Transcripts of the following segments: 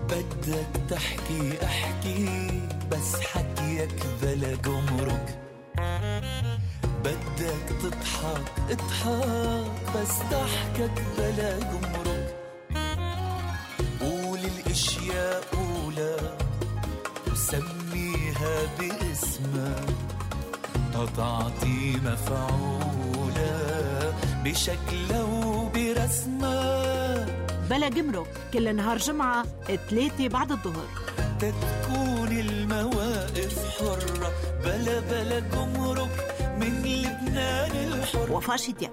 بدك تحكي احكي بس حكيك بلا جمرك، بدك تضحك اضحك بس ضحكك بلا جمرك، قول الاشياء قولها وسميها باسمها تتعطي مفعولة بشكلها وبرسمها. بلا جمرك كل نهار جمعة 3 بعد الظهر، تكون المواقف حرة بلا جمرك من لبنان الحر. وفاء شديق.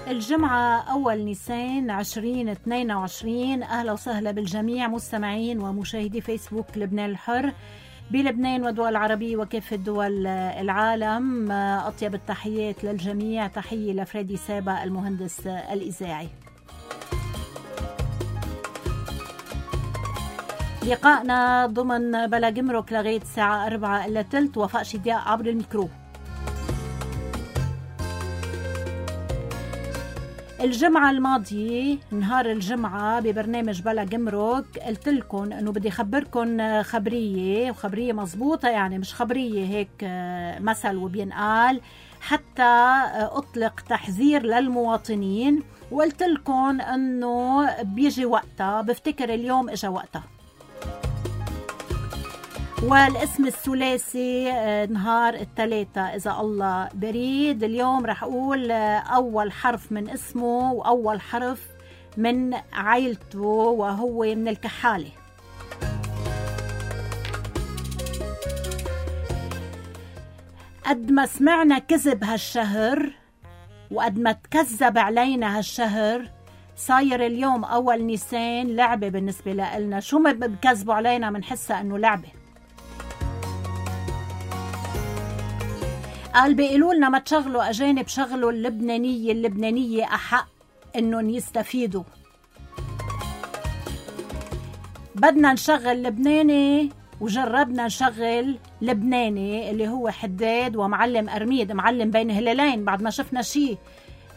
الجمعة أول نيسان 2022. أهلا وسهلا بالجميع مستمعين ومشاهدي فيسبوك لبنان الحر بلبنان والدول العربية وكافة دول العالم. أطيب التحيات للجميع، تحية لفريدي سابا المهندس الإذاعي. لقائنا ضمن بلا جمرك لغاية الساعة 4:15. وفاء شديق عبر الميكرو. الجمعة الماضية نهار الجمعة ببرنامج بلا جمرك قلت لكم انه بدي خبركم خبرية، وخبرية مزبوطة يعني مش خبرية هيك مثل وبينقال، حتى اطلق تحذير للمواطنين. وقلت لكم انه بيجي وقتها، بفتكر اليوم اجا وقتها. والاسم الثلاثي نهار الثلاثة إذا الله بريد. اليوم رح أقول أول حرف من اسمه وأول حرف من عائلته، وهو من الكحالة. قد ما سمعنا كذب هالشهر وقد ما تكذب علينا هالشهر، صاير اليوم أول نيسان لعبة بالنسبة لنا. شو ما بكذبوا علينا منحسها أنه لعبة. قال بيقولوا لنا ما تشغلوا أجانب، شغلوا اللبنانية أحق إنهم يستفيدوا. بدنا نشغل لبناني وجربنا نشغل لبناني اللي هو حداد ومعلم أرميد، معلم بين هلالين، بعد ما شفنا شي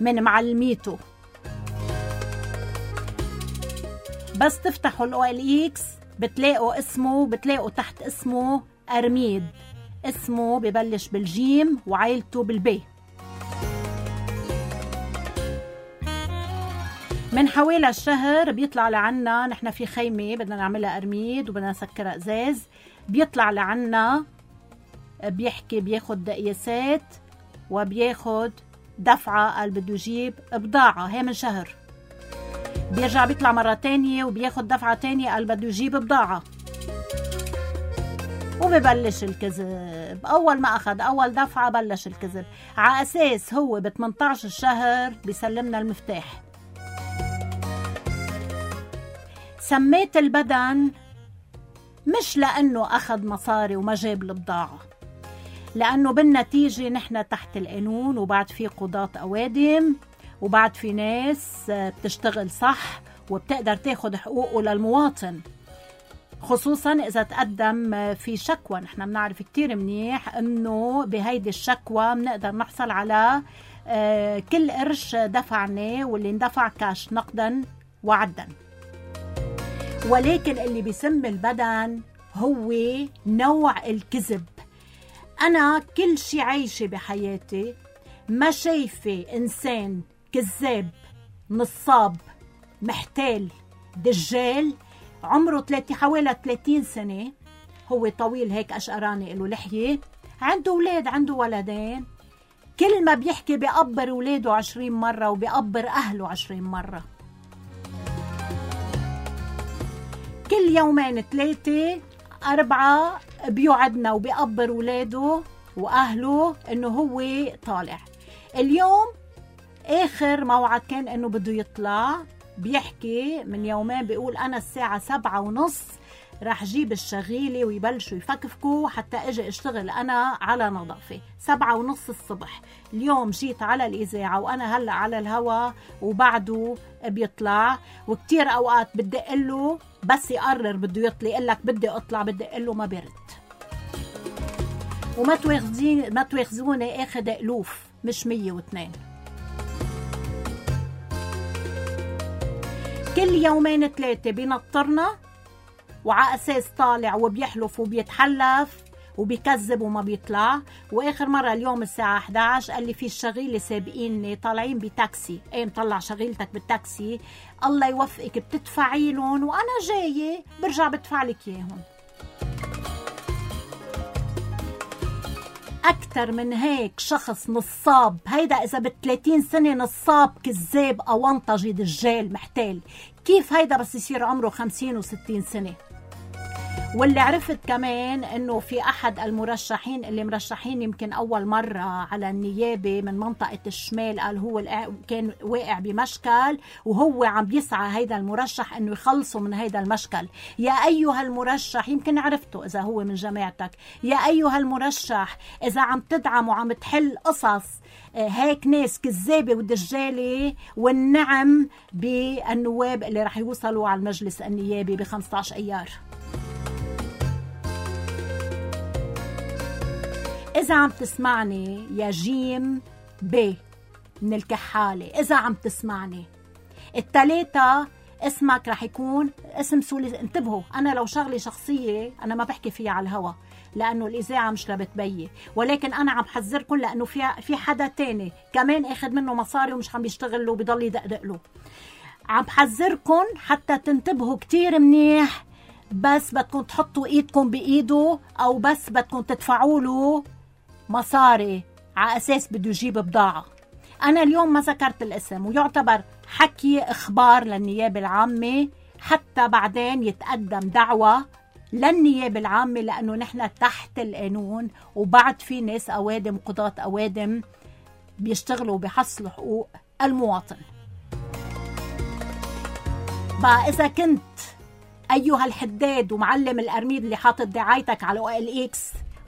من معلميته. بس تفتحوا الOLX بتلاقوا اسمه، بتلاقوا تحت اسمه أرميد. اسمه ببلش بالجيم وعائلته بالبي. من حوالي الشهر بيطلع لعنا، نحن في خيمة بدنا نعملها أرميد وبدنا نسكرها إزاز، بيطلع لعنا بيحكي بياخد قياسات وبياخد دفعة، قال بده يجيب بضاعة. هي من شهر بيرجع بيطلع مرة تانية وبياخد دفعة تانية، قال بده يجيب بضاعة. وببلش الكذب. أول ما أخذ أول دفعة بلش الكذب، على أساس هو ب 18 الشهر بيسلمنا المفتاح. سميت البدن مش لأنه أخذ مصاري وما جاب البضاعة، لأنه بالنتيجة نحن تحت القانون، وبعد في قضاة أوادم، وبعد في ناس بتشتغل صح وبتقدر تاخد حقوقه للمواطن، خصوصا إذا تقدم في شكوى. نحن بنعرف كتير منيح أنه بهيدي الشكوى بنقدر نحصل على كل قرش دفعناه واللي اندفع كاش نقدا وعدا. ولكن اللي بيسم البدن هو نوع الكذب. أنا كل شي عايشة بحياتي ما شايفة إنسان كذاب نصاب محتال دجال عمره حوالي 30 سنة، هو طويل هيك أشقراني له لحية، عنده أولاد، عنده ولدين، كل ما بيحكي بيقبر أولاده 20 مرة وبيقبر أهله 20 مرة. كل يومين 3 4 بيوعدنا وبيقبر أولاده وأهله إنه هو طالع. اليوم آخر موعد كان إنه بده يطلع، بيحكي من يومين بيقول أنا الساعة 7:30 راح جيب الشغيلة ويبلشوا يفكفكوا حتى اجي اشتغل أنا على نظافة. 7:30 الصبح. اليوم جيت على الإذاعة وأنا هلأ على الهوا وبعده بيطلع، وكتير أوقات بدي قله بس يقرر بده يطلع يقلك بدي أطلع، بدي قله ما برد. وما تواخذوني اخذ ألوف مش 102. كل يومين 3 بينطرنا وعلى أساس طالع وبيحلف وبيتحلف وبيكذب وما بيطلع. وآخر مرة اليوم الساعة 11 قال لي في الشغيلة سابقيني طالعين بتاكسي، مطلع شغيلتك بالتاكسي، الله يوفقك بتدفعي لهم وأنا جاية برجع بدفع لك إياهم. أكتر من هيك شخص نصاب، هيدا إذا ب30 سنة نصاب كذاب أونطجي دجال محتال، كيف هيدا بس يصير عمره 50 و60 سنة؟ واللي عرفت كمان انه في احد المرشحين اللي مرشحين يمكن اول مرة على النيابة من منطقة الشمال، قال هو كان واقع بمشكل وهو عم بيسعى هيدا المرشح انه يخلصوا من هيدا المشكل. يا ايها المرشح، يمكن عرفته اذا هو من جماعتك، يا ايها المرشح اذا عم تدعم وعم تحل قصص هيك ناس كذابة ودجالة، والنعم بالنواب اللي رح يوصلوا على المجلس النيابي ب15 ايار. إذا عم تسمعني يا جيم ب من الكحالة، إذا عم تسمعني التلاتة اسمك رح يكون اسم سولي. انتبهوا، أنا لو شغلي شخصية أنا ما بحكي فيها على الهوا لأنه الإذاعة مش لبتبي، ولكن أنا عم حذركم لأنه في حدا تاني كمان أخذ منه مصاري ومش عم بيشتغل له وبيضل يدقدق له. عم حذركم حتى تنتبهوا كتير منيح، بس بدكم تحطوا إيدكم بإيده أو بس بدكم تدفعوا له مصاري على أساس بده يجيب بضاعة. أنا اليوم ما ذكرت الاسم ويعتبر حكي إخبار للنيابة العامة، حتى بعدين يتقدم دعوة للنيابة العامة لأنه نحن تحت القانون، وبعد في ناس أوادم قضاة أوادم بيشتغلوا بحصلوا حقوق المواطن. بقى إذا كنت أيها الحداد ومعلم الأرميد اللي حاطط دعايتك على OLX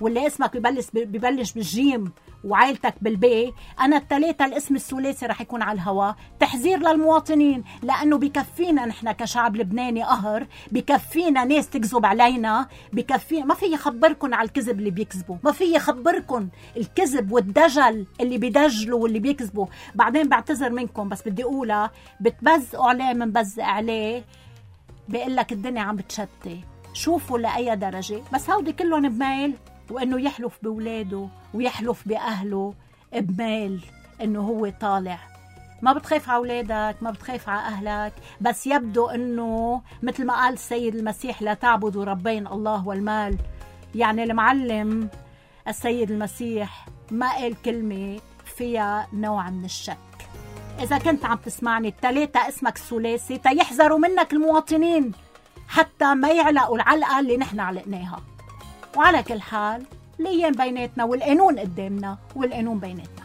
واللي اسمك ببلش بالجيم وعائلتك بالبي، أنا التلاتة الاسم الثلاثي رح يكون على الهواء. تحذير للمواطنين، لأنه بكفينا نحن كشعب لبناني قهر، بكفينا ناس تكذب علينا، بكفينا. ما في يخبركن على الكذب اللي بيكذبوا، ما في يخبركن الكذب والدجل اللي بيدجلوا واللي بيكذبوا. بعدين بعتذر منكم بس بدي أقولها، بتبزقوا عليه من بزق عليه، بيقول لك الدنيا عم بتشتي. شوفوا لأي درجة، بس هودي كلهم بميل وإنه يحلف بولاده ويحلف بأهله بميل إنه هو طالع. ما بتخاف على أولادك، ما بتخاف على أهلك، بس يبدو إنه مثل ما قال السيد المسيح لا تعبدوا ربين الله والمال. يعني المعلم السيد المسيح ما قال كلمة فيها نوع من الشك. إذا كنت عم تسمعني التلاتة اسمك الثلاثي، تيحذروا منك المواطنين حتى ما يعلقوا العلقة اللي نحن علقناها. وعلى كل حال الأيام بيناتنا والقانون قدامنا والقانون بيناتنا.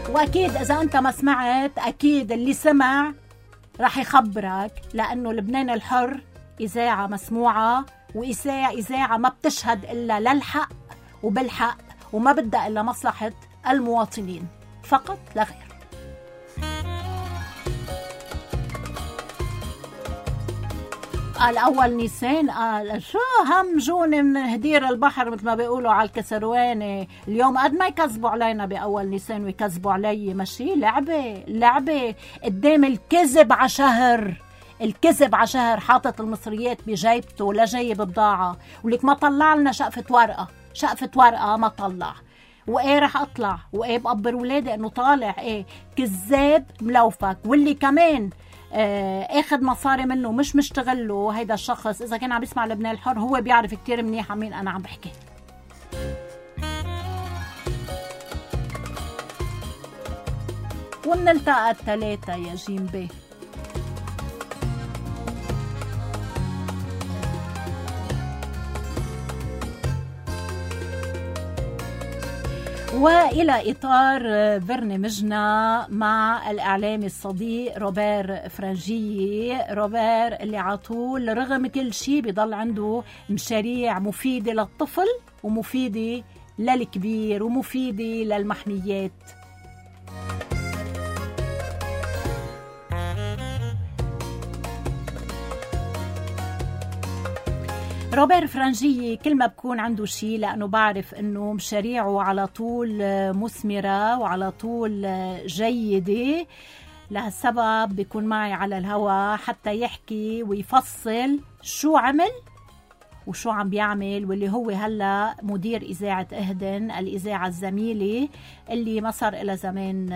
وأكيد إذا أنت ما سمعت، أكيد اللي سمع رح يخبرك، لأنه لبنان الحر إذاعة مسموعة، وإذاعة ما بتشهد إلا للحق وبالحق، وما بدها إلا مصلحة المواطنين فقط لا غير. قال أول نيسان، قال شو همجون من هدير البحر مثل ما بيقولوا على الكسرواني. اليوم قد ما يكذبوا علينا بأول نيسان ويكذبوا علي، ماشي لعبة قدام الكذب عشهر. الكذب عشهر حاطط المصريات بجيبته لا جايب بضاعة، ولك ما طلع لنا شقفة ورقة ما طلع. وإيه رح أطلع وإيه بقبر ولادي إنه طالع إيه كذاب ملوفك. واللي كمان اخد مصاري منه مش مشتغل له هيدا الشخص، إذا كان عم يسمع لبنان الحر هو بيعرف كتير منيح عن مين أنا عم بحكي. ومنلتقى التلاتة يا جيم بي. وإلى إطار برنامجنا مع الإعلامي الصديق روبير فرنجي. روبير اللي عطول رغم كل شيء بيضل عنده مشاريع مفيدة للطفل ومفيدة للكبير ومفيدة للمحميات. روبير فرنجية كل ما بكون عنده شيء، لأنه بعرف أنه مشاريعه على طول مثمرة وعلى طول جيدة، لهالسبب بيكون معي على الهوا حتى يحكي ويفصل شو عمل وشو عم بيعمل، واللي هو هلأ مدير إذاعة إهدن، الإذاعة الزميلة اللي ما صار إلى زمان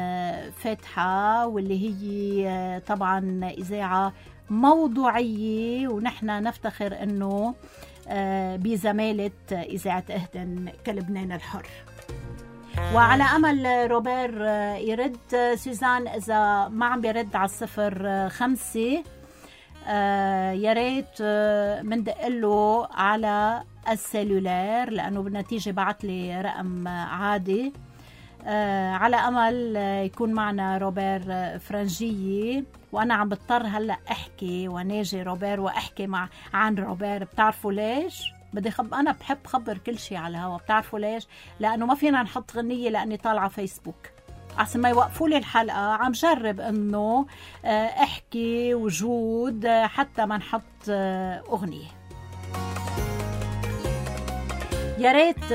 فاتحة، واللي هي طبعا إذاعة موضوعية، ونحن نفتخر أنه بزمالة إذاعة إهدن كلبنان الحر. وعلى أمل روبير يرد. سوزان إذا ما عم بيرد على 05 يا ريت مندقله على السيلولار، لأنه بالنتيجة بعت لي رقم عادي. على أمل يكون معنا روبير فرنجية. وأنا عم بضطر هلأ أحكي وناجي روبير وأحكي عن روبير. بتعرفوا ليش؟ أنا بحب خبر كل شيء على الهوا. بتعرفوا ليش؟ لأنه ما فينا نحط غنية لأني طالعة فيسبوك، عشان ما يوقفوا لي الحلقة. عم جرب انه احكي وجود حتى ما نحط اغنية. يا ريت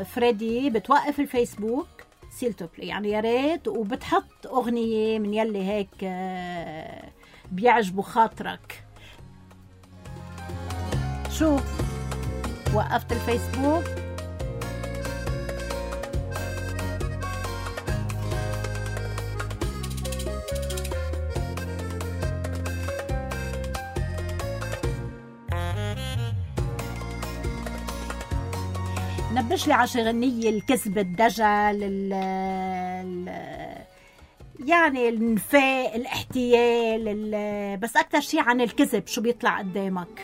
فريدي بتوقف الفيسبوك سيلتو بلاي، يعني يا ريت، وبتحط اغنية من يلي هيك بيعجبوا خاطرك. شو وقفت الفيسبوك؟ نبش لي عشي غنية الكذب، الدجل، يعني النفاق، الاحتيال، بس أكتر شيء عن الكذب. شو بيطلع قدامك؟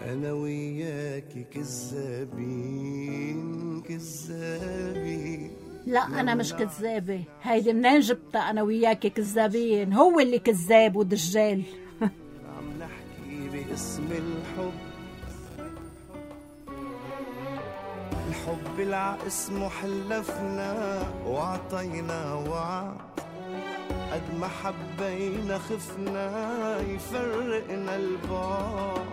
أنا وياكي كذابين كذابين. لا أنا مش كذابة، هيدي منين جبتها؟ أنا وياكي كذابين، هو اللي كذاب ودجال. عم نحكي باسم الحب، الحب العاسمه حلفنا وعطينا وعد، قد ما حبينا خفنا يفرقنا البعد،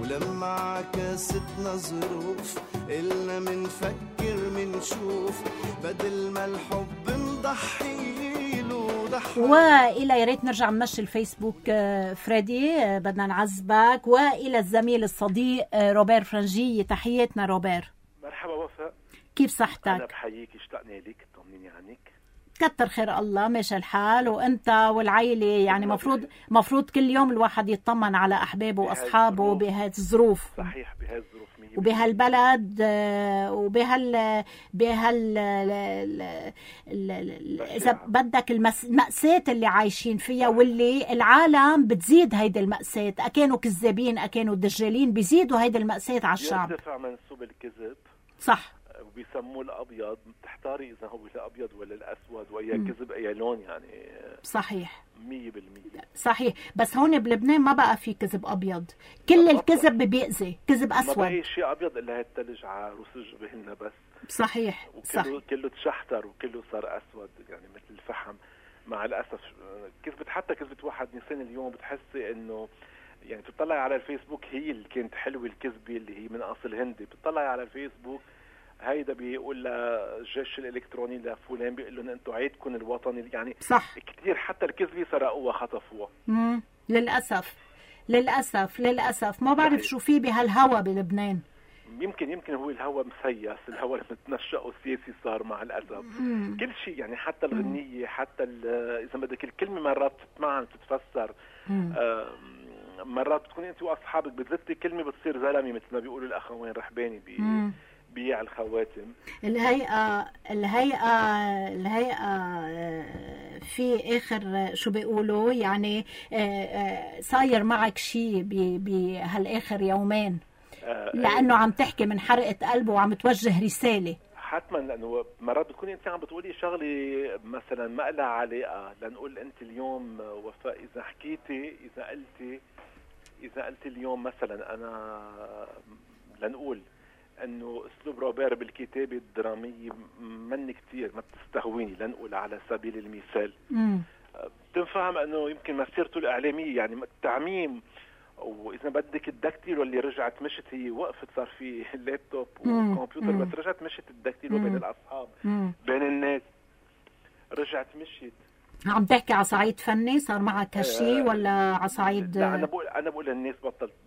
ولما عكاستنا ظروف قلنا منفكر منشوف، بدل ما الحب نضحيله ضحي. وإلى يا ريت نرجع نمشي الفيسبوك فريدي، بدنا نعذبك. وإلى الزميل الصديق روبير فرنجية، تحياتنا روبير. مرحبا وفاء، كيف صحتك؟ أنا بحييك، اشتقنا لك، طمنيني عنك. كتر خير الله، ماشي الحال. وانت والعائله يعني مفروض كل يوم الواحد يطمن على احبابه واصحابه بهذه الظروف. صحيح، بهذه الظروف وبهالبلد اذا بدك المأساة اللي عايشين فيها، واللي العالم بتزيد هيدي المأساة. اكانوا كذابين، اكانوا دجالين، بيزيدوا هيدي المأساة على الشعب. يرتفع منسوب الكذب، صح، وبيسموه الابيض. بتحتاري اذا هو الابيض ولا الاسود، واي كذب اي لون، يعني صحيح 100%. صحيح. بس هون بلبنان ما بقى في كذب ابيض، كل الكذب بيأذي، كذب اسود. ما بقى شيء ابيض الا هالثلج على روس جبهنا بس. صحيح، وكله كله تشحتر وكله صار اسود، يعني مثل الفحم. مع الاسف كذبت، حتى كذبت واحد نيسان اليوم بتحسي انه يعني بتطلعي على الفيسبوك، هي اللي كانت حلوه الكذبه اللي هي من اصل هندي. بتطلعي على الفيسبوك هيدا بيقول للجيش الالكتروني لفلان، بيقول لهم انتم عيدكم الوطني، يعني صح. كثير حتى الكذبه سرقوها خطفوها. للاسف ما بعرف شو في بهالهوا بلبنان. يمكن هو الهوا مسيس، الهوا اللي متنشأه السياسي صار مع الاسف. كل شيء، يعني حتى الغنيه، حتى اذا بدك الكلمه مرات تتمعن تتفسر. مرات بتكوني انت واصحابك بتزتي كلمه بتصير زلمه، مثل ما بيقولوا الاخوين رحباني بيع الخواتم. الهيئة في آخر شو بيقولوا، يعني صاير معك شيء بهالآخر يومين، لأنه عم تحكي من حرقة قلبه وعم توجه رسالة. حتما، لأنه مرات بتكوني أنت عم بتقولي شغلي مثلا ما لها علاقة، لنقول أنت اليوم وفاء إذا حكيتي، إذا قلتي اذا قلت اليوم مثلا انا لنقول انه اسلوب روبير بالكتابه الدراميه من كتير ما بتستهويني، لنقول على سبيل المثال بتنفهم انه يمكن مسيرته الاعلاميه يعني التعميم، واذا بدك الدكتيلو اللي رجعت مشت، هي وقفت صار في اللابتوب والكمبيوتر بس رجعت مشت الدكتيلو بين الاصحاب بين الناس رجعت مشيت. عم تحكي على صعيد فني صار معك هالشي ولا على صعيد؟ لا انا بقول الناس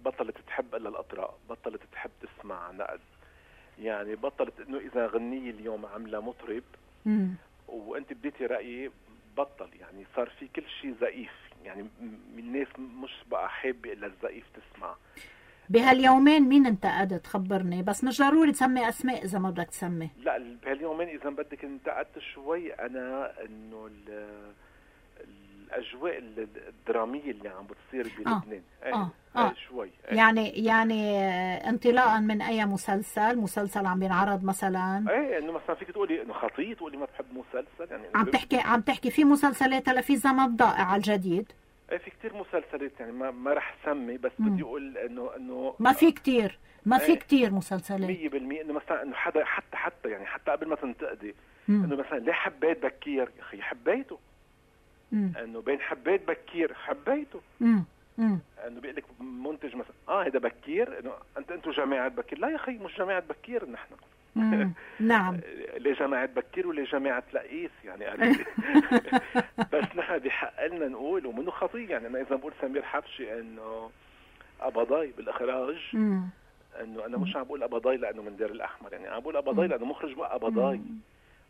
بطلت تحب الا الاطراء، بطلت تحب تسمع نقد، يعني بطلت انه اذا غنية اليوم عامله مطرب وانت بديتي رايي بطل، يعني صار في كل شيء زئيف، يعني الناس مش بقى حابه الا الزئيف تسمع. بهاليومين مين انتقدت خبرني؟ بس مش ضروري تسمي اسماء اذا ما بدك تسمي. لا بهاليومين اذا بدك انتقدت شوي انا انه الاجواء الدراميه اللي عم بتصير بلبنان شوي يعني انطلاقا من اي مسلسل عم بينعرض مثلا؟ انه مثلا فيك تقولي انه خطيه تقولي ما بحب مسلسل، يعني عم تحكي في مسلسلات هلا في زمن ضائع على الجديد. في كتير مسلسلات، يعني ما رح سمي بس بدي اقول انه ما في كتير مسلسلات 100%. انه مثلا انه حتى يعني حتى قبل ما تنتقدي انه مثلا ليه حبيت بكير، يا اخي حبيته، انه بين حبيت بكير حبيته، انه بيقول لك منتج مثلا هذا بكير، انه انتوا جماعه بكير، لا يا اخي مش جماعه بكير نحن. نعم ليه جماعه بكير وليه جماعه لقيس يعني بس نحن بحق لنا نقول ومنه خطيه، يعني انا اذا بقول سمير حبشي انه قبضاي بالاخراج، انه انا مش عم بقول قبضاي لانه من دير الاحمر، يعني عم بقول قبضاي لانه مخرج بقى قبضاي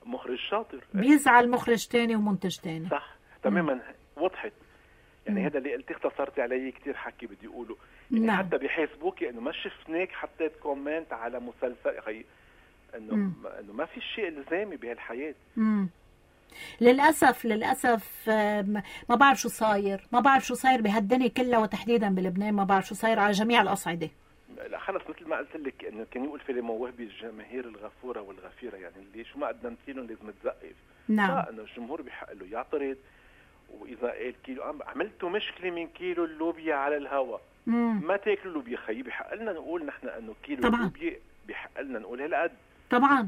مخرج شاطر، بيزعل مخرج تاني ومنتج تاني، صح تماما وضحت. يعني هذا اللي قلتي اختصرتي علي كتير حكي بدي اقوله، يعني حتى بحيسبوكي انه ما شفناك حطيت كومنت على مسلسل، يا اخي انه ما في شيء الزامي بهالحياه. للاسف ما بعرف شو صاير بهالدنيا كلها، وتحديدا بلبنان ما بعرف شو صاير على جميع الاصعده. لا خلص مثل ما قلت لك انه كان يقول فيلم وهبي الجماهير الغفوره والغفيره، يعني اللي شو ما قدمت لهم لازم تزقف. نعم انه الجمهور بحق له يعترض، واذا قال كيلو عملتوا مشكله من كيلو اللوبيا على الهواء ما تاكلوا لوبيا، خيي بحق لنا نقول نحن انه كيلو اللوبيا بحق لنا نقول هالقد. طبعا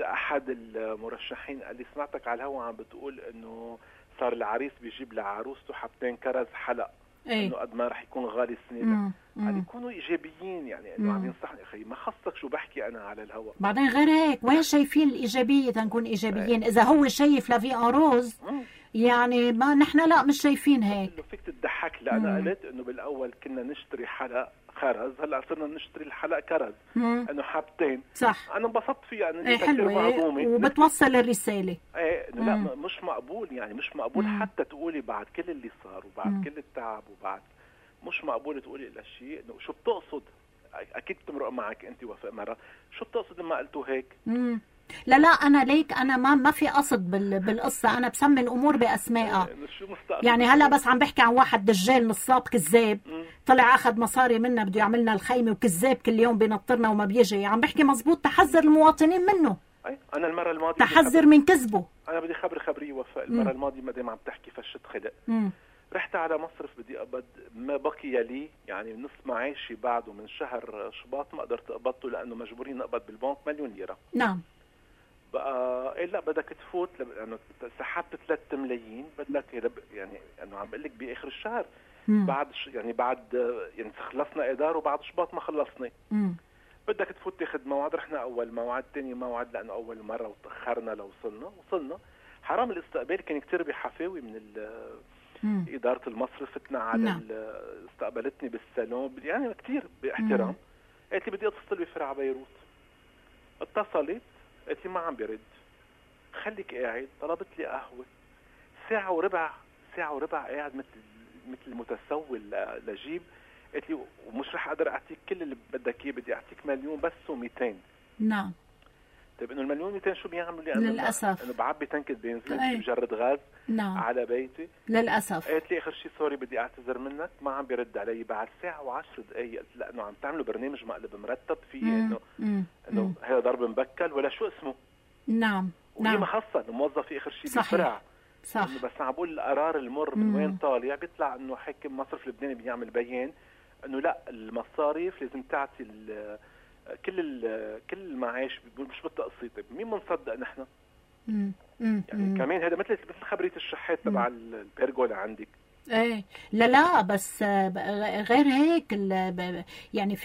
احد المرشحين قال لي سمعتك على الهواء عم بتقول انه صار العريس بيجيب لعروسته حبتين كرز حلق، انه قد ما رح يكون غالي السنه. قال يكونوا ايجابيين، يعني انه عم ينصحني يا اخي ما خصك شو بحكي انا على الهواء. بعدين غير هيك وين شايفين الايجابيه تنكون ايجابيين؟ اذا هو شايف لافي ان روز يعني ما نحن لا مش شايفين هيك. فيك تضحك لي، انا قلت انه بالاول كنا نشتري حلق خرز، هلا صرنا نشتري الحلق كرز، انه حبتين. صح انا انبسطت فيها، انه حلوه وبتوصل الرساله. انه لا مش مقبول، يعني مش مقبول حتى تقولي بعد كل اللي صار وبعد كل التعب وبعد مش مقبول تقولي الا شيء انه شو بتقصد. اكيد بتمرق معك انت وفاء مره، شو بتقصد لما قلتوا هيك؟ لا انا ليك انا ما في قصد بالقصه، انا بسمي الامور باسمائها. يعني هلا بس عم بحكي عن واحد دجال نصاب كذاب طلع اخذ مصاري منا بده يعملنا الخيمه، وكذاب كل يوم بينطرنا وما بيجي. عم بحكي مزبوط، تحذر المواطنين منه. انا المره الماضيه تحذر من كذبه. انا بدي خبريه وفاء، المره الماضيه ما دام عم تحكي فشت خلق، رحت على مصرف بدي اقبض ما بقي لي، يعني نص معاشي بعده من شهر شباط ما قدرت اقبضه لانه مجبورين اقبض بالبنك 1,000,000 ليره. نعم بقى لا بدك تفوت لانه سحبت 3 ملايين، بدك يعني انه عم بقول لك باخر الشهر بعد يعني خلصنا اداره وبعد شباط ما خلصنا. بدك تفوت تاخذ موعد، رحنا اول موعد ثاني موعد لانه اول مره وتاخرنا لو وصلنا حرام. الاستقبال كان كتير بحفاوي من إدارة المصرف، فتنا على استقبلتني بالصالون يعني كتير باحترام. قالت لي بدي اتصل بفرع بيروت، اتصلت قالت لي ما عم بيرد، خليك قاعد. طلبت لي قهوة ساعة وربع قاعد مثل المتسول لجيب. قالت لي ومش رح اقدر اعطيك كل اللي بدك اياه، بدي اعطيك 1,000,000 بس و200. نعم. طيب انه 1,000,000 شو بيعملوا لي؟ للاسف انه بعبي تنكة بنزين بجرد غاز على بيتي للاسف. قالت لي اخر شيء سوري بدي اعتذر منك، ما عم بيرد علي. بعد ساعة و10 دقائق قلت لا انه عم تعملوا برنامج مقلب مرتب فيه انه هذا ضرب مبكل ولا شو اسمه. نعم وهي ما خصها الموظف اخر شيء بالفرع صح. بس عم بقول القرار المر من وين طالع، بيطلع انه حاكم مصرف لبناني بيعمل بيان انه لا، المصارف لازم تعطي كل المعاش مش بالتقسيط. مين بنصدق نحن؟ يعني كمان هذا مثل خبرية الشحات تبع البيرجولا عندك. ايه لا بس غير هيك يعني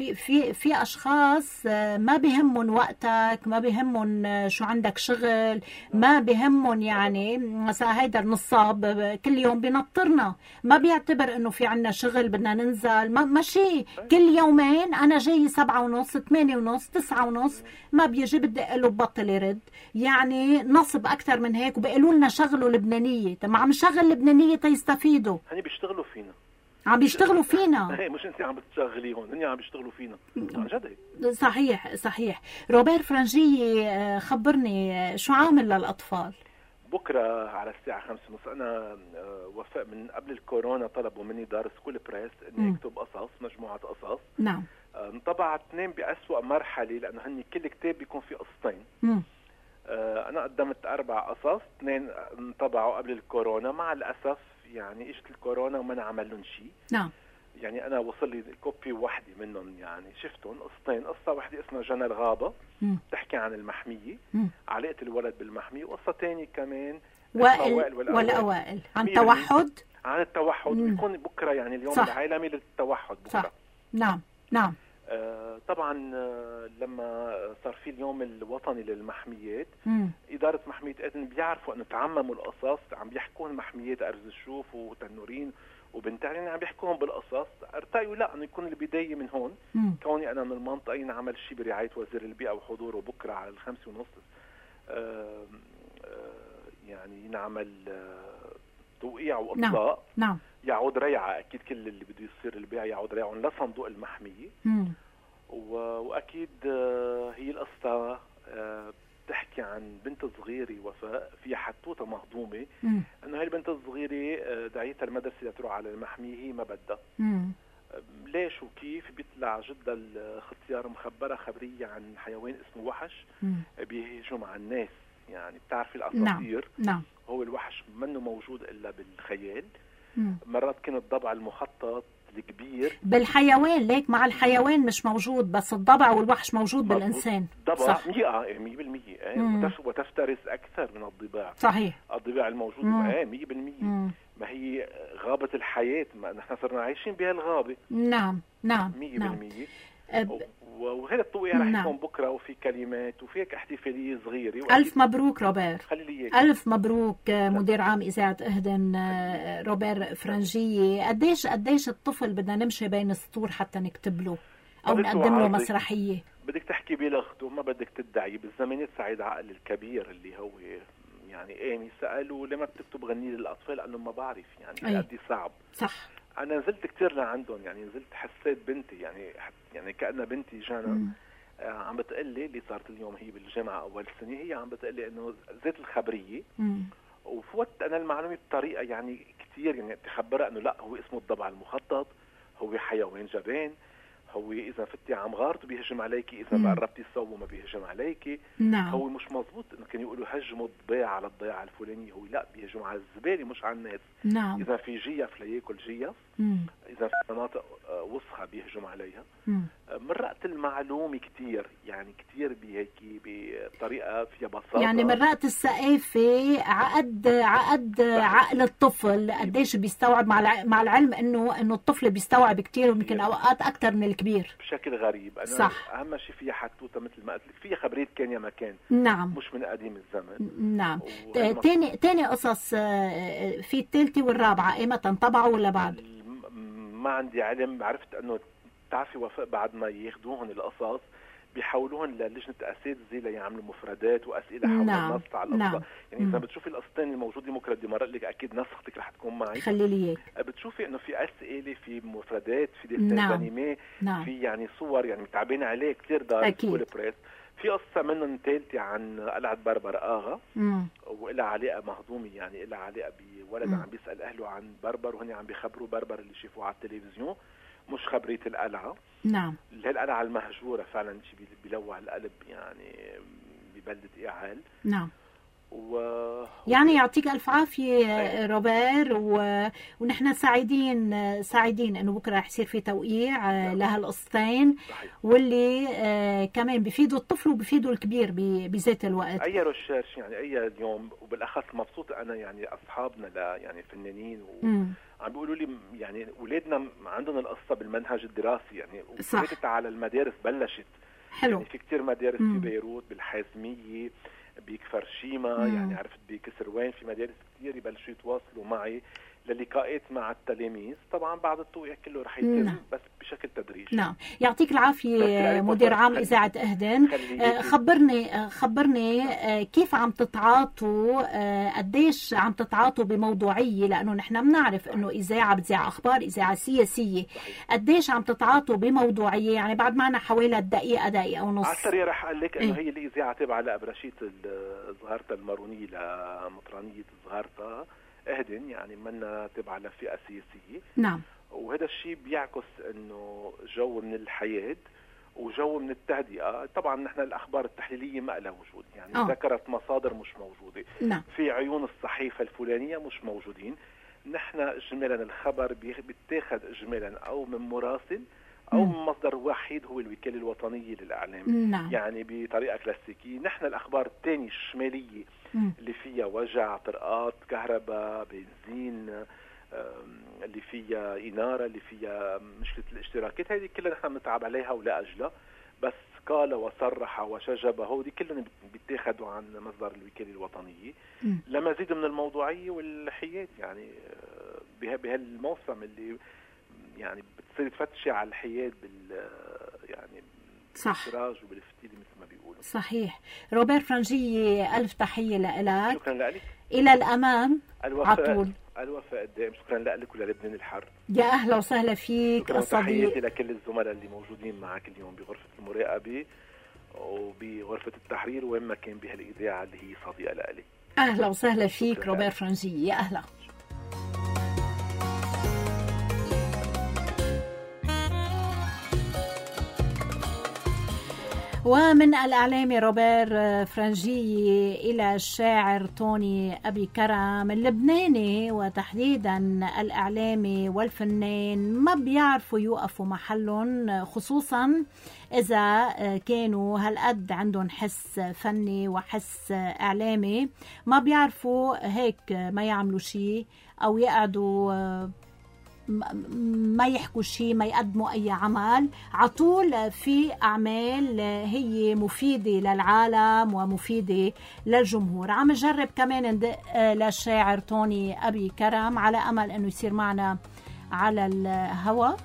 في اشخاص ما بيهمن وقتك، ما بيهمن شو عندك شغل، ما بيهمن يعني مثلا هيدا النصاب كل يوم بينطرنا، ما بيعتبر انه في عنا شغل بدنا ننزل، ماشي كل يومين انا جاي 7:30 8:30 9:30 ما بيجي، بدي له ببطل يرد. يعني نصب اكثر من هيك، وبيقولوا لنا شغلوا لبنانيه. طب ما عم نشغل لبنانيه تيستفيدوا. هني بيشتغلوا فينا، عم بيشتغلوا فينا. مش انت عم بتشغليهم، هن عم بيشتغلوا فينا عن جد. صحيح. روبير فرنجية، خبرني شو عامل للأطفال؟ بكرة على الساعة 5:30 أنا وفاء من قبل الكورونا طلبوا مني دار سكول بريس إني أكتب قصص، مجموعة قصص. نعم. انطبع 2 بأسوأ مرحلة، لأنه هني كل كتاب بيكون فيه قصتين. أنا قدمت 4 قصص، 2 انطبعوا قبل الكورونا. مع الأسف يعني اجت الكورونا وما نعمل لهم شيء. نعم. يعني انا وصل لي كوبي واحده منهم، يعني شفتهم قصتين. قصه واحده اسمها جنى الغابه بتحكي عن المحميه، علاقه الولد بالمحميه، وقصه ثانيه كمان وائل والأوائل عن توحد. عن التوحد. بيكون بكره يعني اليوم صح. العالمي للتوحد بكره. صح. نعم. طبعا لما صار في اليوم الوطني للمحميات، إدارة محمية إذن بيعرفوا أنه تعمموا القصص، عم بيحكون محميات أرز الشوف وتنورين وبنتعلين، عم بيحكون بالقصص. ارتأيوا لا أنه يكون البداية من هون. كوني أنا من المنطقة نعمل شيء برعاية وزير البيئة وحضوره بكرة على 5:30 يعني نعمل توقيع وإطلاق. نعم. يعود ريعة أكيد كل اللي بده يصير البيع يعود ريعهم لصندوق المحمية. وأكيد هي القصة بتحكي عن بنت صغيرة وفاء فيها حتوتة مهضومة، أنه هاي البنت الصغيرة دعيتها المدرسة لتروح على المحمية، هي ما بدها. ليش وكيف؟ بيطلع جدا الاختيار مخبرة خبرية عن حيوان اسمه وحش بيهجم على الناس. يعني بتعرفي الأساطير. نعم. هو الوحش منه موجود إلا بالخيال. مرات كان الضبع المخطط الكبير بالحيوان، ليك مع الحيوان مش موجود، بس الضبع والوحش موجود بالإنسان. الضبع 100% وتفترس أكثر من الضباع. صحيح. الضباع الموجود 100%. ما هي غابة الحياة، ما نحن صرنا عايشين بها الغابة. نعم 100%. وهذا التوقيع رح يكون بكره، وفي كلمات وفي احتفاليه صغيره. الف مبروك روبير. خلي الف مبروك مدير عام اذاعه اهدن روبير فرنجيه. قديش الطفل بدنا نمشي بين السطور حتى نكتب له او نقدم له مسرحيه؟ بدك تحكي بلغته، ما بدك تدعي. بالزمانات سعيد عقل الكبير اللي هو يعني امي سالوا لما بتكتب غني للاطفال، قال ما بعرف يعني قد صعب. صح. انا نزلت كتير لعندهم، يعني نزلت حسيت بنتي يعني كأنها بنتي جانا عم بتقلي اللي صارت اليوم هي بالجامعه اول سنه، هي عم بتقلي انه ذات الخبريه وفوت انا المعلومه بطريقه يعني كتير يعني تخبرها انه لا، هو اسمه الضبع المخطط، هو حيوان جبان، هو اذا فتي عم غارته بيهجم عليكي، اذا قربتي تصوبه ما بيهجم عليكي. نعم. هو مش مزبوط انه كانوا يقولوا هجموا الضباع على الضيعه الفلانيه، هو لا، بيهجم على الزباله مش على الناس. نعم. اذا في جيف لياكل جيف، اذا في مناطق وسخه بيهجم عليها. مرقت المعلومه كتير، يعني كتير بهيك بطريقه فيها بساطه. يعني مرقت الثقافه عقد عقل الطفل قديش بيستوعب، مع العلم انه الطفل بيستوعب كتير ويمكن اوقات اكثر من الكبير بشكل غريب. أنا صح. اهم شيء فيها حتوته مثل ما قلت لك، فيها خبريه كان يا مكان. نعم. مش من قديم الزمن. نعم. تاني قصص في الثالثه والرابعه ايمتى طبعوا ولا بعد؟ ما عندي علم. عرفت انه بتعرفي وفاء بعد ما ياخذوهم القصص بيحولوهم للجنه اساتذه ليعملوا مفردات واسئله حول النص على القصه. يعني اذا بتشوفي القصتين الموجودين بكره بدي مرق لك، اكيد نسختك رح تكون معي، خلي لي اياك. بتشوفي انه في اسئله، في مفردات، في ديسين انيمي، في يعني صور يعني متعبين عليه كثير دار سكول بريس. في قصه منهم ثالثه عن قلعه بربر اغا وإلها علاقه مهضومه، يعني إلها علاقه بولد عم بيسال اهله عن بربر وهن عم بيخبروا بربر اللي شافوه على التلفزيون، مش خبريه القلعه. نعم. اللي هي القلعه المهجوره فعلا، شيء بيلوع القلب يعني ببلده إعال. نعم. يعني يعطيك ألف عافية روبير، ونحن سعيدين إنه بكرة رح يصير في توقيع لهالقصتين، واللي كمان بيفيدوا الطفل وبيفيدوا الكبير بذات الوقت. أي ريسيرش يعني أي اليوم، وبالأخص مبسوط أنا يعني أصحابنا يعني فنانين عم بيقولوا لي يعني أولادنا عندهم القصة بالمنهج الدراسي، يعني وفاتت على المدارس بلشت. حلو. يعني في كتير مدارس في بيروت، بالحازمية، بكفر شيما، يعني عرفت بكسروان، في مدارس كتير يبلشوا يتواصلوا معي للقاءات مع التلاميذ. طبعا بعد التوقيع كله رح يتم بس بشكل تدريجي. نعم. يعطيك العافية مدير عام إذاعة أهدن. خبرني كيف عم تتعاطوا، قديش عم تتعاطوا بموضوعية، لأنه نحن بنعرف أنه إذاعة بتذاع أخبار، إذاعة سياسية. قديش عم تتعاطوا بموضوعية؟ يعني بعد معنا حوالي دقيقة ونص. على السريع رح أقول لك أنه هي الإذاعة تابعة لأبرشيت زهرتا المارونية، لمطرانية زهرتا أهدن، يعني منا تبع لفئة سياسية. نعم. وهذا الشيء بيعكس انه جو من الحياة وجو من التهدئة. طبعا نحن الأخبار التحليلية ما لها وجود، يعني ذكرت مصادر مش موجودة. نعم. في عيون الصحيفة الفلانية مش موجودين. نحن إجمالا الخبر بيتاخد إجمالا أو من مراسل أو من مصدر وحيد هو الوكالة الوطنية للإعلام. نعم. يعني بطريقة كلاسيكية. نحن الأخبار الثانية الشمالية اللي فيها وجع، طرقات، كهرباء، بنزين، اللي فيها إنارة، اللي فيها مشكلة الاشتراكات، هذه كلها نحن بنتعب عليها ولا أجلها. بس قال وصرح وشجب هودي كلهم بيتاخدوا عن مصدر الوكالة الوطنية لمزيد من الموضوعية والحياد. يعني بهالموسم اللي يعني بتصير تفتشي على الحياد يعني بالسراج وبالفتيل مثل ما بيقولوا. صحيح. روبير فرنجية، ألف تحية لك. شكرا لك. إلى الأمام عطول. الوفاء الدائم. شكرا لك وللبنان الحر. يا أهلا وسهلا فيك الصديق. تحياتي لكل الزملاء اللي موجودين معك اليوم بغرفة المراقبة وبغرفة التحرير وين ما كان بهالإذاعة اللي هي صديقة لي. أهلا وسهلا فيك روبير فرنجية. يا أهلا. ومن الإعلامي روبير فرنجية إلى الشاعر توني أبي كرم اللبناني، وتحديدا الإعلامي والفنان ما بيعرفوا يوقفوا محلهم، خصوصا إذا كانوا هالقد عندهم حس فني وحس إعلامي. ما بيعرفوا هيك ما يعملوا شيء أو يقعدوا ما يحكوا شيء، ما يقدموا أي عمل. عطول في أعمال هي مفيدة للعالم ومفيدة للجمهور. عم نجرب كمان ندق للشاعر توني أبي كرم على أمل أنه يصير معنا على الهواء.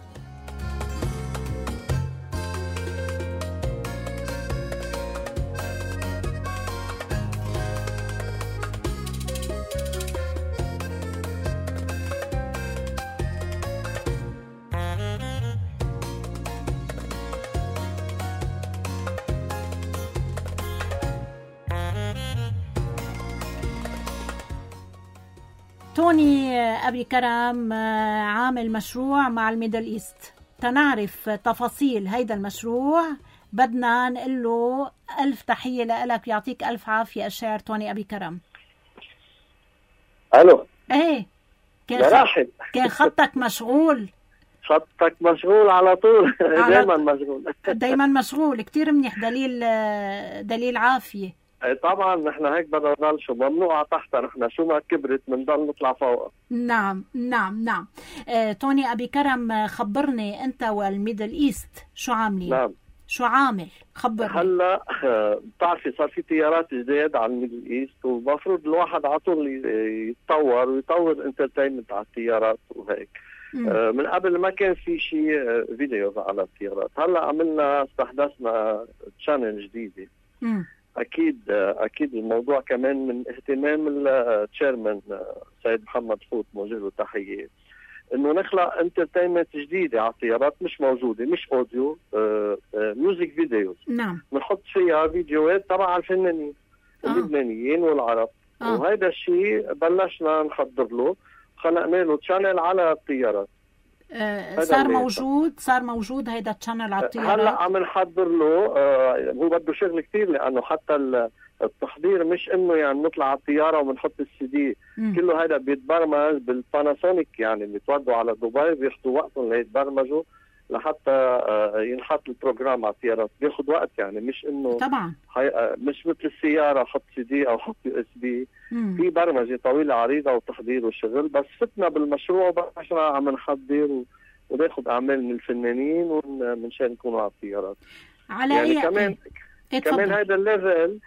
توني أبي كرم عامل مشروع مع الميدل إيست. تنعرف تفاصيل هيدا المشروع بدنا نقول له ألف تحية لك. يعطيك ألف عافية الشاعر توني أبي كرم. ألو. إيه كان خطك مشغول. خطك مشغول على طول. دايما مشغول. دايما مشغول. كتير منيح. دليل عافية. طبعا نحن هيك بدنا نضل شو ممنوع تحت، نحن شو ما كبرت بنضل نطلع فوق. نعم. توني أبي كرم خبرني أنت والميدل إيست شو عاملين؟ نعم. شو عامل؟ خبرني. هلا بتعرفي صار في تيارات جديد على الميدل إيست، ومفروض الواحد على طول يتطور ويطور انترتينمنت على التيارات وهيك. من قبل ما كان في شيء فيديوز على التيارات. هلا عملنا استحدثنا تشانل جديدة. أكيد الموضوع كمان من اهتمام التشيرمان سيد محمد فوت، موجه له تحية، إنه نخلق انترتينمنت جديدة على الطيارات مش موجودة، مش أوديو، ميوزك فيديوز. نعم. بنحط فيها فيديوهات تبع الفنانين اللبنانيين والعرب. وهذا الشيء بلشنا نحضر له، خلقنا له تشانل على الطيارات. صار موجود هيدا التشانل على الطيارات. هلا عم نحضر له. هو بده شغل كتير، لانه حتى التحضير مش انه يعني نطلع على الطياره وبنحط السي دي، كله هذا بيتبرمج بالباناسونيك، يعني بيتودوا على دبي بياخذوا وقتهم ليتبرمجوا لحتى ينحط البروجرام على الطيارات. بياخذ وقت يعني، مش انه طبعا مش مثل السياره حط سي دي او حط يو اس بي. في برمجه طويله عريضه وتحضير وشغل. بس فتنا بالمشروع وبعشنا عم نحضر وناخذ اعمال من الفنانين ومنشان نكونوا على الطيارات. على يعني كمان هذا الليفل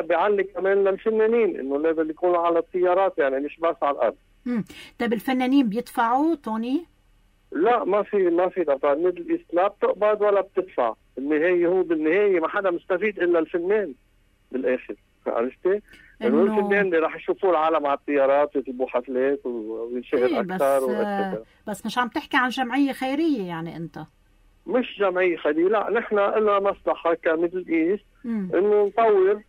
بيعلي كمان للفنانين انه الليفل يكونوا على الطيارات، يعني مش بس على الارض. طيب الفنانين بيدفعوا توني؟ لا ما في دفع. ميدل ايست لا بتقبض ولا بتدفع. بالنهايه ما حدا مستفيد الا الفنان بالاخر، عرفتي؟ انه الفنان اللي راح يشوفوا العالم على الطيارات ويجيبوا حفلات وينشهر اكثر. بس مش عم تحكي عن جمعيه خيريه يعني انت؟ مش جمعيه خيريه، لا نحن لنا مصلحه كميدل ايست انه نطور.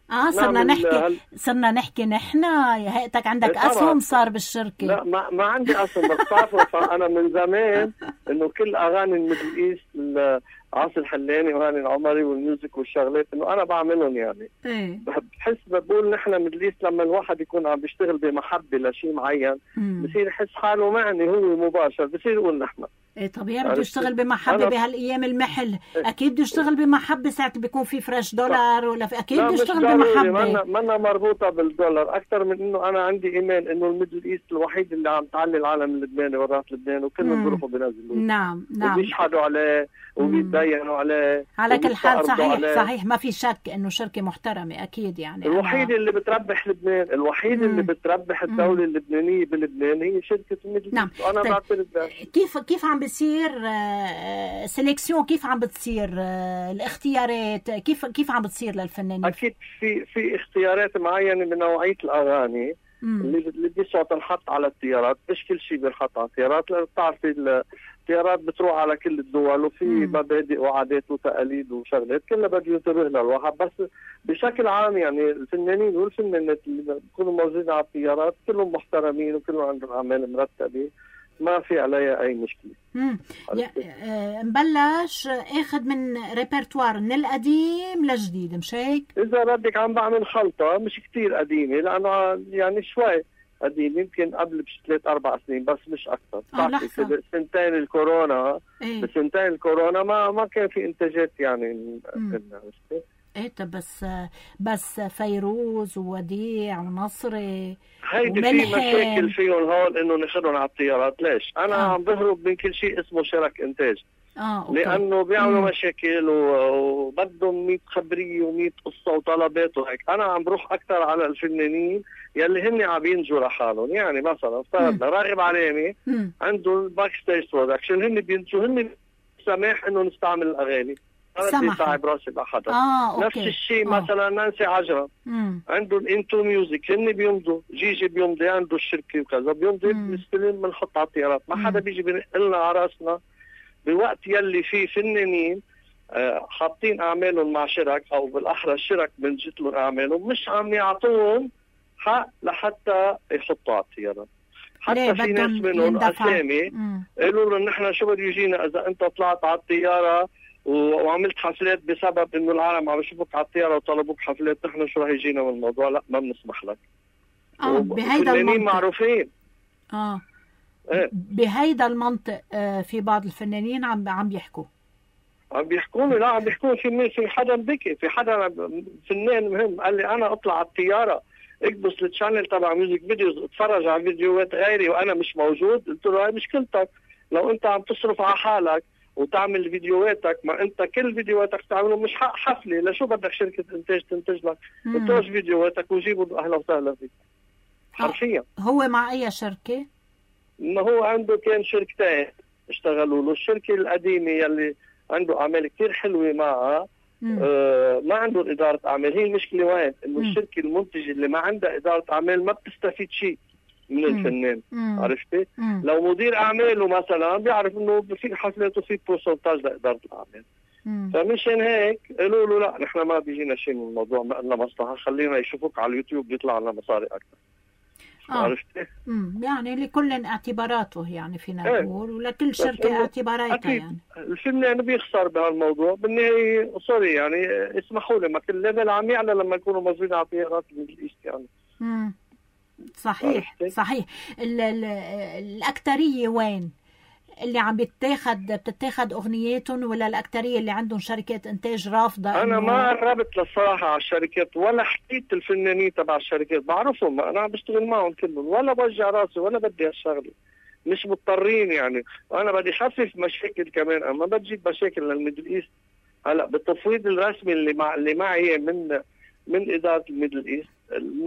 صرنا نحكي نحن. هيئتك عندك اسهم صار بالشركه؟ لا ما عندي اسهم، بس بعرفوا انا من زمان انه كل اغاني الميدل ايست عاصي الحلاني وهاني العمري والميوزك والشغلات انه انا بعملهم يعني. بحس بقول نحن ميدل ايست لما الواحد يكون عم بيشتغل بمحبه لشيء معين بصير يحس حاله معني هو مباشر، بصير يقول نحن طبيعي بده يشتغل بمحبه بهالايام المحل. اكيد بده يشتغل بمحبه ساعه بيكون في فريش دولار ولا في اكيد بده يشتغل بمحبه. منا مربوطه بالدولار اكثر من انه انا عندي ايمان انه الميدل ايست الوحيد اللي عم تعلي العالم اللبناني ورات لبنان وكلهم بيروحوا بينزلوا. نعم وبيشحدوا عليه وبيتدينوا عليه. على كل حال صحيح ما في شك انه شركه محترمه اكيد يعني. الوحيد اللي بتربح لبنان، الوحيد اللي بتربح الدوله اللبنانيه بلبنان هي شركه الميدل ايست. وانا بعترف كيف عم بيصير سيليكسيون؟ كيف عم بتصير الاختيارات؟ كيف عم بتصير للفنانين؟ اكيد في اختيارات معينه من نوعيه الاغاني اللي بيسوا تنحط على الطيارات. مش كل شيء بينحط على الطيارات، لأن بتعرفي الطيارات بتروح على كل الدول وفي مبادئ وعادات وتقاليد وشغلات كلها بده ينتبه لها الواحد. بس بشكل عام يعني الفنانين والفنانات اللي بيكونوا موجودين على الطيارات كلهم محترمين وكلهم عندهم اعمال مرتبه، ما في عليها اي مشكله. نبلش اخذ من ريبرتوار من القديم للجديد، مش هيك؟ اذا بدك عم بعمل خلطه مش كتير قديمه، لانه يعني شوي قديم، يمكن قبل 3-4 سنين بس مش اكثر. بسنتين الكورونا بسنتين الكورونا ما كان في انتاجات يعني. طب بس فيروز ووديع ونصري هيدي في مشاكل فيهم هون انه ناخذهم على الطيارات. ليش؟ انا عم بهرب من كل شيء اسمه شرك انتاج. أوكي. لانه بيعملوا مشاكل وبدهم 100 خبريه و100 قصه وطلبات وهيك. انا عم بروح اكثر على الفنانين يلي هن عم ينجوا لحالهم. يعني مثلا افترضنا راغب علامي عنده الباك ستيج برودكشن، هن بينجوا، هن سماح انه نستعمل الاغاني، انا بدي صعب راسي بحدا. نفس الشيء مثلا نانسي عجرم عنده الانتو ميوزك، هن بيمضوا، جيجي بيمضي عنده الشركه وكذا، بيمضي بنستلم بنحط على الطيارات. ما حدا بيجي بينقلنا على راسنا بوقت يلي فيه فنانين حاطين اعمالهم مع شرك، او بالاحرى الشرك بنجت لهم اعمالهم مش عم يعطوهم حق لحتى يحطوا على الطيارات. حتى في ناس منهم اسامي قالوا لهم نحن شو بده يجينا اذا انت طلعت على الطياره وعملت حفلات بسبب انه العالم عم يشوفوك على الطياره وطلبوك حفلات، نحن شو رح يجينا من الموضوع؟ لا ما بنسمح لك. بهيدا المنطق معروفين. بهيدا المنطق في بعض الفنانين عم بيحكوا لا عم بيحكوا في حدا بكي، في حدا فنان مهم قال لي انا اطلع على الطياره اكبس التشانل تبع ميوزك فيديوز اتفرج على فيديوهات غيري وانا مش موجود. قلت له هاي مشكلتك، لو انت عم تصرف على حالك وتعمل فيديوهاتك، ما انت كل فيديوهاتك تعملهم مش حق حفله، لشو بدك شركه انتاج تنتج لك؟ انتج فيديوهاتك وجيبوا اهلا وسهلا فيك. حرفيا هو مع اي شركه؟ ما هو عنده كان شركتين اشتغلوا له. الشركه القديمه يلي عنده اعمال كتير حلوه معها ما عندهم اداره اعمال. هي المشكله وين؟ انه الشركه المنتجه اللي ما عندها اداره اعمال ما بتستفيد شيء من الفنان. عرفتي؟ لو مدير اعماله مثلا بيعرف انه في حفلات وفي بورسنتاج لاداره الاعمال. فمشان هيك قالوا له لا نحن ما بيجينا شيء من الموضوع، ما لنا مصلحه، خلينا يشوفوك على اليوتيوب بيطلع لنا مصاري اكثر. عرفتي؟ يعني لكل اعتباراته، يعني فينا نقول، ولكل شركة اعتباراتها. يعني الفنان بيخسر بهالموضوع بالنهاية. سوري يعني اسمحوا لي، ما كل ليفل عم يعلى لما يكونوا موجودين على طيارات الميدل ايست يعني. صحيح صحيح. الأكترية وين اللي عم بتتاخد أغنياتهم، ولا الأكترية اللي عندهم شركات إنتاج رافضة؟ أنا ما قربت للصراحة على الشركات ولا حكيت الفنانين تبع الشركات، بعرفهم، أنا عم بشتغل معهم كلهم، ولا بوجع راسي ولا بدي هالشغلة، مش مضطرين يعني. وأنا بدي خفف مشاكل كمان، أما بتجيب مشاكل للميدل إيست. هلا بالتفويض الرسمي اللي معي من إدارة الميدل إيست،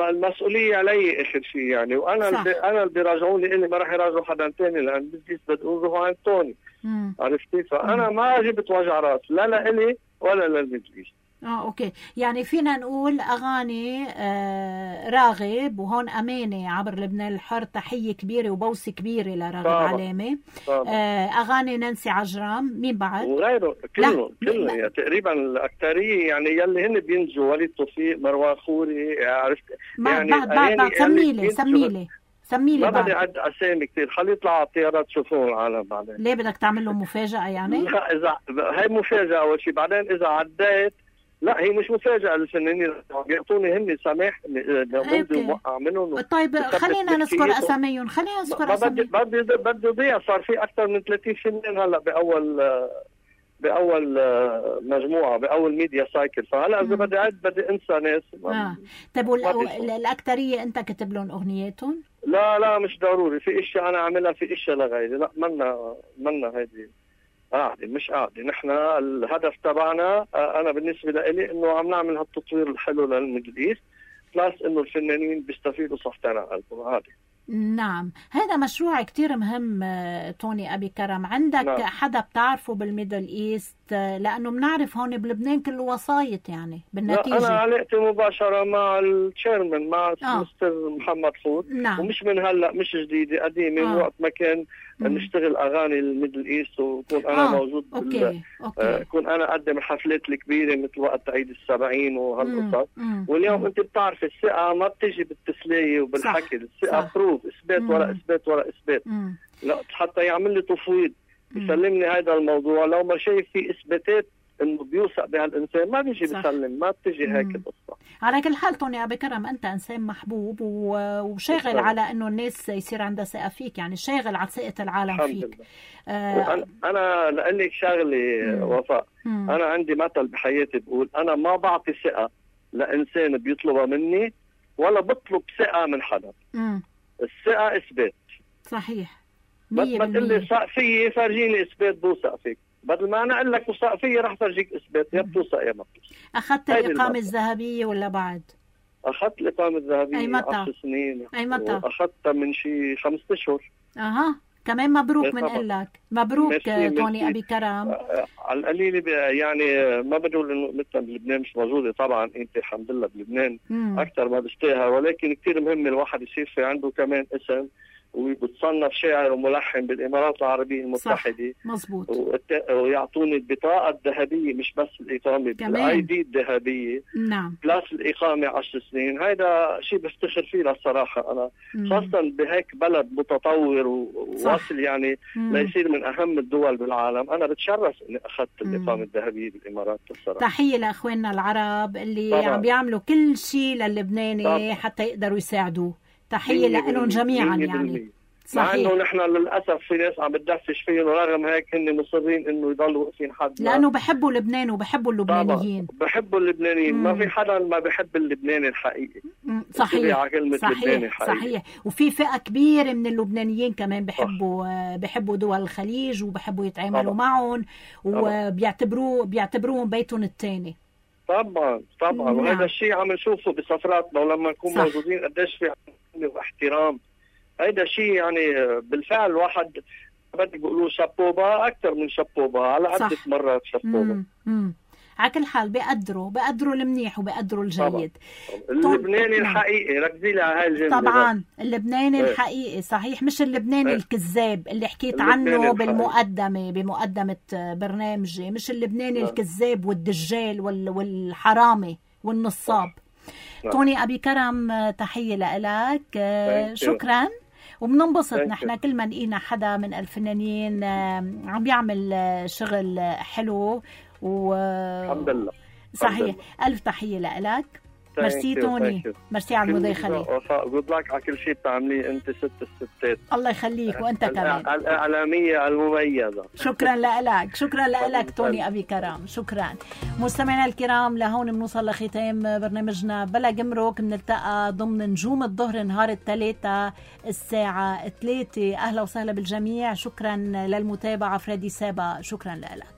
المسؤولية علي آخر شيء يعني. وأنا اللي بيراجعوني، اللي ما راح يراجعوا حدا تاني، لأن الميدل إيست بدهم يروحوا عند توني. عرفتي؟ فأنا ما جبت وجع راس لا لإلي ولا للميدل إيست. اوكي، يعني فينا نقول اغاني راغب، وهون امانه عبر لبنان الحر تحيه كبيره وبوسه كبيره لراغب علامه. اغاني نانسي عجرم، مين بعد؟ وغيره كلهم يعني تقريبا الاكثريه، يعني يلي هن بينجوا، وليد توفيق، مروان خوري، عرفت يعني. بعد سميلي ما بدي اعد اسامي كثير، خلي يطلعوا على الطيارات تشوفون العالم بعدين. ليه بدك تعمل لهم مفاجاه يعني؟ لا، اذا هي مفاجاه اول شيء، بعدين اذا عديت لا هي مش مفاجأة للفنانين، بيعطوني هن سماح بدي موقع منهم. طيب خلينا نذكر اساميهم، بدي ضيع. صار في اكثر من 30 فنان هلا باول مجموعة، باول ميديا سايكل، فهلا اذا بدي اعد بدي انسى ناس. طيب الاكثريه انت كتب لهم اغنياتهم؟ لا مش ضروري، في اشياء انا عاملها، في اشياء لغيري. لا منا هيدي قاعدة، مش قاعدة. نحن الهدف تبعنا أنا بالنسبة لي إنه عم نعمل هالتطوير الحلو للميدل إيست، بلس إنه الفنانين بيستفيدوا صحتين على قلبهم. هذا نعم، هذا مشروع كتير مهم. توني أبي كرم، عندك حدا بتعرفه بالميدل إيست؟ لأنه بنعرف هون بلبنان كله وسايط يعني بالنتيجة. أنا علاقتي مباشرة مع التشيرمان، مع مستر محمد حوت. ومش من هلأ، مش جديدة، قديمة. من وقت ما كان نشتغل أغاني الميدل إيست، وكون أنا موجود كون أنا أقدم الحفلات الكبيرة مثل وقت عيد ال70 وهالقصص. واليوم أنت بتعرف الثقة ما بتجي بالتسلية وبالحكي، الثقة بروف، إثبات ورا إثبات ورا إثبات. لا حتى يعمل لي تفويض يسلمني هذا الموضوع، لو ما شايف في إثباتات إنه بيوثق بهالإنسان ما بيجي بيسلم، ما بتجي هيك القصة. على كل حال توني أبي كرم، أنت إنسان محبوب وشاغل على إنه الناس يصير عندها ثقة فيك، يعني شاغل على ثقة العالم فيك. أنا لقلك شغلي وفاء، أنا عندي مثل بحياتي بقول أنا ما بعطي ثقة لإنسان بيطلبها مني، ولا بطلب ثقة من حدا. الثقة إثبات. صحيح. بس ما تقول لي وثق فيي فرجيني إثبات بوثق فيك، بدل ما أنا أقول لك وثق فيي رح فرجيك إثبات، يا بتوثق يا ما بتوثق. أخذت الإقامة الذهبية ولا بعد؟ أخذت الإقامة الذهبية 10 سنين. أي متى؟ أخذتها من شي 5 أشهر. كمان مبروك منقلك. مبروك توني أبي كرم. على القليل يعني ما بقول إنه مثل بلبنان مش موجودة، طبعا أنت الحمد لله بلبنان أكثر ما بستاهل، ولكن كتير مهم الواحد يصير في عنده كمان اسم، وبتصنف شاعر وملحن بالإمارات العربية المتحدة. مزبوط. ويعطوني البطاقة الذهبية، مش بس الإقامة، الآي دي الذهبية. نعم. بلاس الإقامة 10 سنين. هيدا شيء بفتخر فيه للصراحة أنا، خاصة بهيك بلد متطور وواصل يعني ليصير من أهم الدول بالعالم. أنا بتشرف إني أخذت الإقامة الذهبية بالإمارات الصراحة. تحية لأخواننا العرب اللي عم بيعملوا كل شيء للبناني حتى يقدروا يساعدوه. تحية لهم جميعا يعني. مع انه نحن للاسف في ناس عم بتدفش فيهم، ورغم هيك هن مصرين انه يضلوا واقفين حد، لانه بحبوا لبنان وبحبوا اللبنانيين. بحبوا اللبنانيين. ما في حدا ما بحب اللبناني الحقيقي. صحيح. صحيح. وفي فئة كبيرة من اللبنانيين كمان بحبوا دول الخليج، وبحبوا يتعاملوا معهم، وبيعتبروهم بيتهم الثاني. طبعا وهذا الشيء عم نشوفه بسفراتنا، ولما نكون موجودين قديش في احترام. هيدا شيء يعني بالفعل واحد بدي بيقولوا شابوبا اكثر من شابوبا، على عدة مرات شابوبا. على كل حال بقدروا المنيح وبقدروا الجيد. اللبناني الحقيقي، ركزي لي على هاي الجملة. طبعا اللبناني الحقيقي صحيح، مش اللبناني الكذاب اللي حكيت عنه بمقدمة برنامجي. مش اللبناني الكذاب والدجال والحرامي والنصاب. توني أبي كرم، تحية لك. شكرا. وبننبسط نحن كل ما لقينا حدا من الفنانين عم بيعمل شغل حلو الحمد لله. صحيح. ألف تحية لك. ميرسي توني، ميرسي على المداخلة. وفاء، جود لك على كل شيء بتعمليه انت ست الستات. الله يخليك، وانت كمان الإعلامية المميزة. شكرا لك، شكرا لك توني أبي كرم، شكرا. مستمعينا الكرام، لهون بنوصل لختام برنامجنا بلا جمرك. بنلتقى ضمن نجوم الظهر نهار الثلاثاء الساعة 3. أهلا وسهلا بالجميع. شكرا للمتابعة. فريدي سابا، شكرا لك.